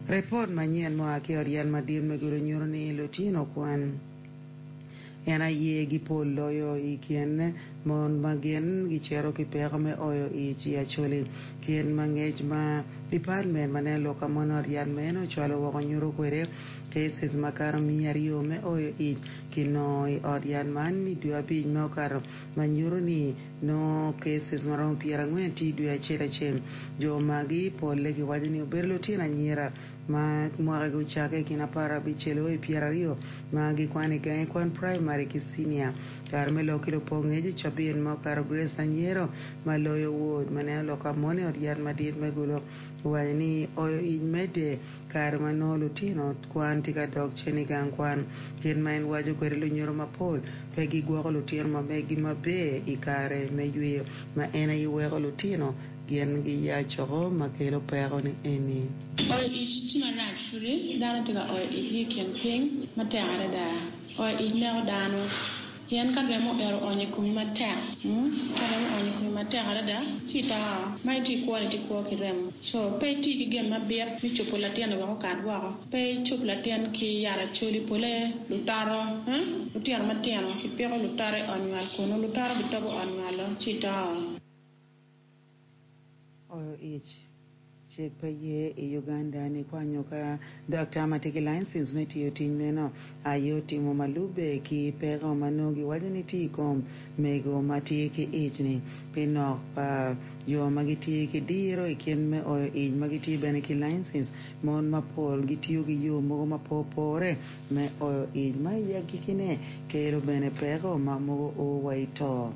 Ripot manyen mua ki i ot yat madit me Gulu nyuto ni lutino kwan en aye gipol loyo i kin mon ma gin gicito ki peko me oyo ic i Acholi. Kit ma ngec ma dipatmen ma neno lok ka mon i ot yat meno ocwalo woko nyuto kwede, cases makato miya aryo me oyo ic kinongo i ot yat man i dwe abic ma okato ma nyuto ni nongo cases maromo 40 tye i dwe acel acel. Jo magi polle giwaco ni obedo lutino anyira ma mwakagi ocakke i kin aparabicel o i 20 ma gikwano i gangi kwan praimari ki cinia. Kare me lok ki lupong ngec i cabit ma okato Grace Anyero ma loyo wod ma neno lok ka mon i ot yat madit me Gulu owaco ni oyo ic medde kare ma nongo lutino kwan tye ka dok cen i gang kwan. Kit ma en waco kwede lunyodo mapol pe gigwoko lutino ma meggi maber i kare me yweyo ma en aye weko lutino gin giyacoko ma kelo peko ni eni. Oyo ic tye marac pudi dano tye ka oyo icgi i kin piny matek adada. Oyo ic neko dano pien ka remo ero oonyo i komi matek, ka remo oonyo i komi matek adada ci ito. Ma itye i kwo ni itye kwo ki remo. Co pe iti ki gin mabit me cubo latin-ni wek okat woko. Pe icub latin ki yat acholi pole lutoto, lutino matino kipiko lutoto i ot nywal kunu lutoto gitobo ot nywalo ci ito. Oyo ic. Cik pe ye i Uganda ni kwanyo ka daktar ma tye ki licence me tiyo tic meno aye otimo ma lube ki peko ma nongo giwaco ni tye i kom mego ma tye ki ic ni. Pi nok pa jo ma gitye ki diro i kit me oyo ic ma gitye bene ki licence, mon mapol gitiyo ki yo mogo ma pe opore me oyo ic ma i agikine kelo bene peko ma mogo o wa i to.